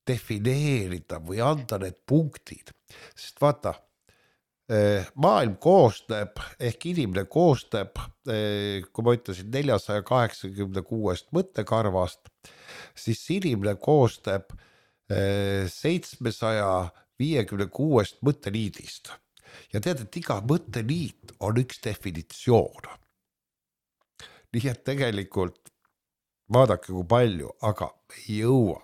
defineerida või anda need punktid. Sest vaata, maailm koosneb, ehk inimene koosneb, kui ma ütlesin neljasada kaheksakümmend kuus mõttekarvast, siis inimene koosneb seitsmesaja viiekümne kuus mõtteliidist. Ja tead, et iga mõtteliit on üks definitsioon. Nii et tegelikult vaadake kui palju, aga ei jõua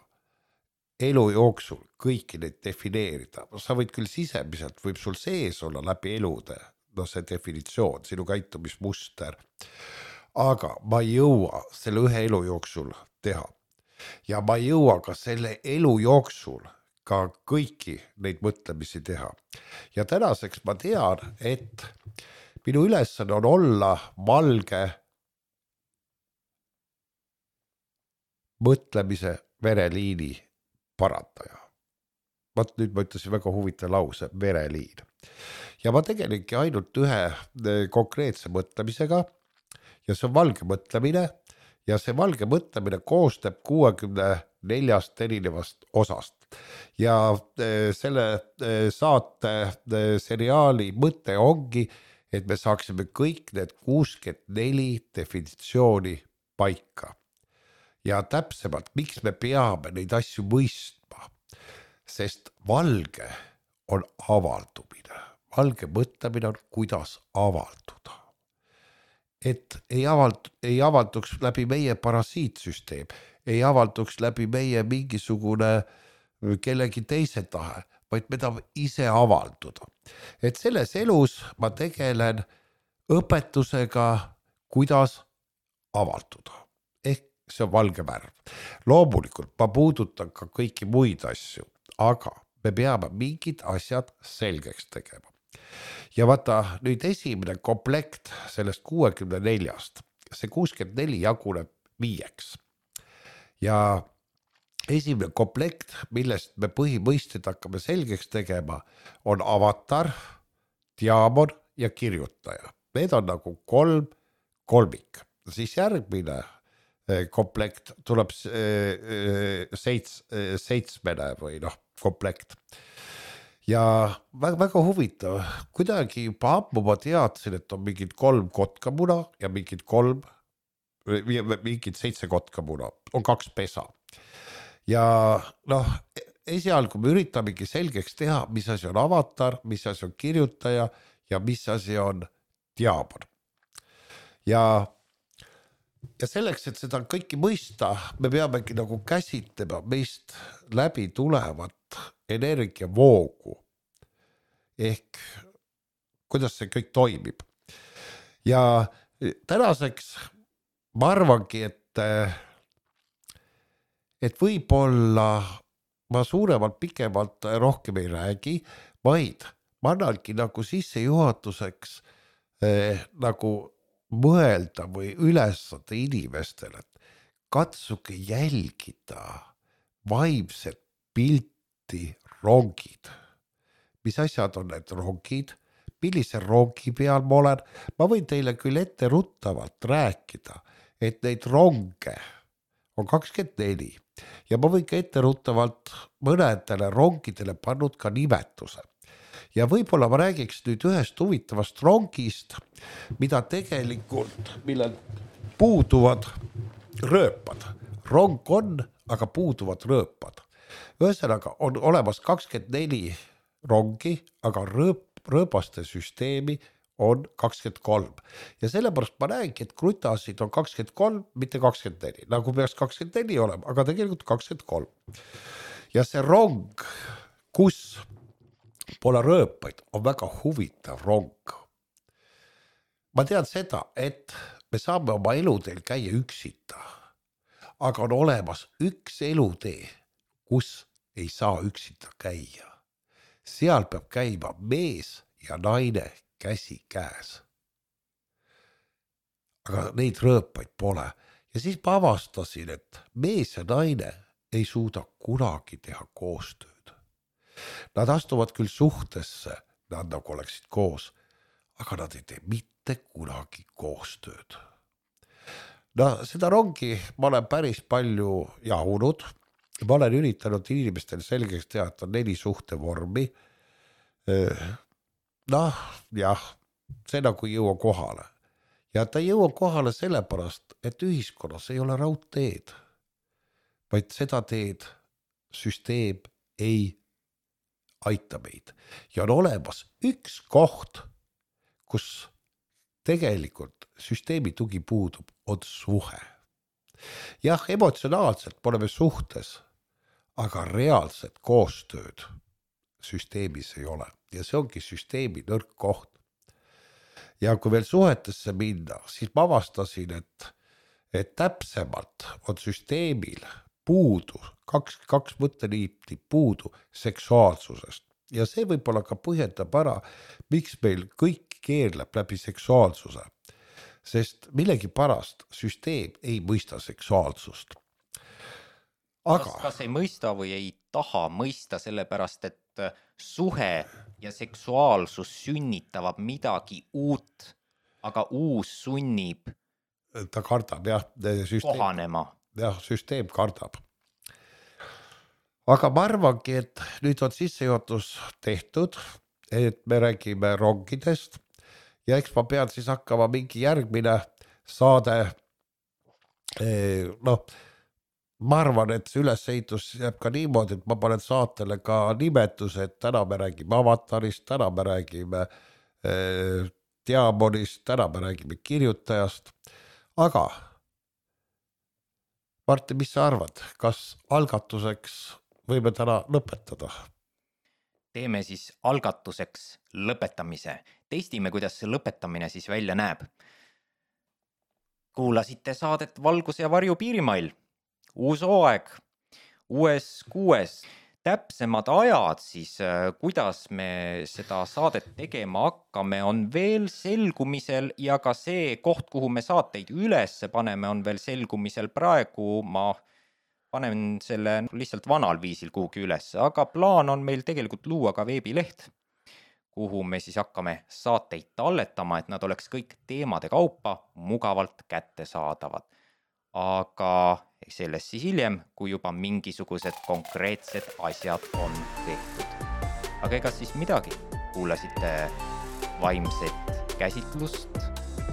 elu jooksul kõiki neid defineerida. Sa võid küll sisemiselt, võib sul sees olla läbi elude, no see definitsioon, sinu käitumismuster, aga ma ei jõua selle ühe elu jooksul teha. ja ma ei jõua ka selle elu jooksul ka kõiki neid mõtlemisi teha. Ja tänaseks ma tean, et minu ülesanne on olla valge mõtlemise vereliini parandaja. Vaat nüüd ma ütlesin väga huvitav lause, vereliin. Ja ma tegelingi ainult ühe konkreetse mõtlemisega ja see on valge mõtlemine ja see valge mõtlemine koostab kuuekümne neljast erinevast osast. Ja selle saate seriaali mõte ongi, et me saaksime kõik need kuuskümmend neli definitsiooni paika. Ja täpsemalt, miks me peame neid asju mõistma, sest valge on avaldumine. Valge mõtlemine on, kuidas avalduda. Et ei, avald, ei avalduks läbi meie parasiitsüsteem, ei avalduks läbi meie mingisugune kellegi teise tahe, vaid me tahame ise avalduda. Et selles elus ma tegelen õpetusega, kuidas avalduda. Ehk see on valge värv. Loomulikult ma puudutan ka kõiki muid asju, aga me peame mingid asjad selgeks tegema. Ja vaata nüüd esimene komplekt sellest kuuekümne neljast, see kuuskümmend neli jaguneb viieks. Ja esimene komplekt, millest me põhimõisted hakkame selgeks tegema, on avatar, diaamon ja kirjutaja. Need on nagu kolm kolmik. Siis järgmine komplekt tuleb seits, seitsmene või noh, komplekt. Ja väga, väga huvitav, kuidagi juba ammu ma teadsin, et on mingid kolm kotkamuna ja mingid kolm, mingid seitse kotkamuna, on kaks pesa. Ja noh, esialgu me üritamegi selgeks teha, mis asi on avatar, mis asi on kirjutaja ja mis asi on diaamon. Ja, ja selleks, et seda kõiki mõista, me peamegi nagu käsitlema meist läbi tulevat energiavoogu ehk kuidas see kõik toimib. Ja tänaseks ma arvangi, et et võib-olla ma suuremalt, pikemalt rohkem ei räägi, vaid ma annangi nagu sissejuhatuseks eh, nagu mõelda või ülesada inimestele, et katsuge jälgida vaimset pilti rongid. Mis asjad on need rongid? Millise rongi peal ma olen? Ma võin teile küll ette ruttavalt rääkida, et neid ronge on kakskümmend neli ja ma võin ka ette ruttavalt mõnedele rongidele pannud ka nimetuse. Ja võib-olla ma räägiks nüüd ühest huvitavast rongist, mida tegelikult, millel puuduvad rööpad. Rong on, aga puuduvad rööpad. Ühesõnaga on olemas kakskümmend neli rongi, aga rööp, rööbaste süsteemi on kakskümmend kolm. Ja sellepärast ma näengi, et krutasid on kakskümmend kolm, mitte kakskümmend neli. Nagu peaks kakskümmend neli olema, aga tegelikult kakskümmend kolm. Ja see rong, kus pole rööpaid, on väga huvitav rong. Ma tean seda, et me saame oma eluteel käia üksita, aga on olemas üks elutee, kus ei saa üksita käia. Seal peab käima mees ja naine käsi käes. Aga neid rööpaid pole. Ja siis ma avastasin, et mees ja naine ei suuda kunagi teha koostööd. Nad astuvad küll suhtesse, nad nagu oleksid koos, aga nad ei tee mitte kunagi koostööd. No seda rongi ma olen päris palju jahunud. Ma olen üritanud inimestel selgeks teha, et on neli suhtevormi. Noh, jah, see nagu ei jõua kohale. Ja ta ei jõua kohale sellepärast, et ühiskonnas ei ole raudteed, vaid seda teed süsteem ei aita meid. Ja on olemas üks koht, kus tegelikult süsteemi tugi puudub, on suhe. Jah, emotsionaalselt pole me suhtes, aga reaalset koostööd süsteemis ei ole. Ja see ongi süsteemi nõrk koht. Ja kui veel suhetesse minna, siis ma avastasin, et, et täpsemalt on süsteemil puudu, kaks, kaks mõtteliiti puudu seksuaalsusest. Ja see võib-olla ka põhjendab ära, miks meil kõik keerleb läbi seksuaalsuse. Sest millegi pärast süsteem ei mõista seksuaalsust. Aga... Kas, kas ei mõista või ei taha mõista sellepärast, et suhe ja seksuaalsus sünnitavad midagi uut, aga uus sunnib ta kardab, jah, süsteem, kohanema. Jah, süsteem kardab. Aga ma arvangi, et nüüd on sissejuhatus tehtud, et me räägime rongidest ja eks ma pean siis hakkama mingi järgmine saade, noh, ma arvan, et see ülesehitus jääb ka niimoodi, et ma panen saatele ka nimetuse, et täna me räägime avatarist, täna me räägime eh, diamonist, täna me räägime kirjutajast, aga Martin, mis sa arvad, kas algatuseks võime täna lõpetada? Teeme siis algatuseks lõpetamise. Testime, kuidas see lõpetamine siis välja näeb. Kuulasite saadet Valgus ja varju piirimail. Uus hooaeg, uues kuues. Täpsemad ajad siis, kuidas me seda saadet tegema hakkame, on veel selgumisel ja ka see koht, kuhu me saateid üles paneme, on veel selgumisel. Praegu ma panen selle lihtsalt vanal viisil kuhugi üles, aga plaan on meil tegelikult luua ka veebileht, kuhu me siis hakkame saateid talletama, et nad oleks kõik teemade kaupa mugavalt kättesaadavad. Aga sellest siis hiljem, kui juba mingisugused konkreetsed asjad on tehtud. Aga ega siis midagi, kuulasite vaimset käsitlust,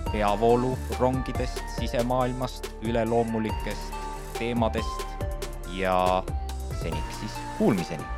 peavoolu rongidest, sisemaailmast, üleloomulikest teemadest ja seniks siis kuulmiseni.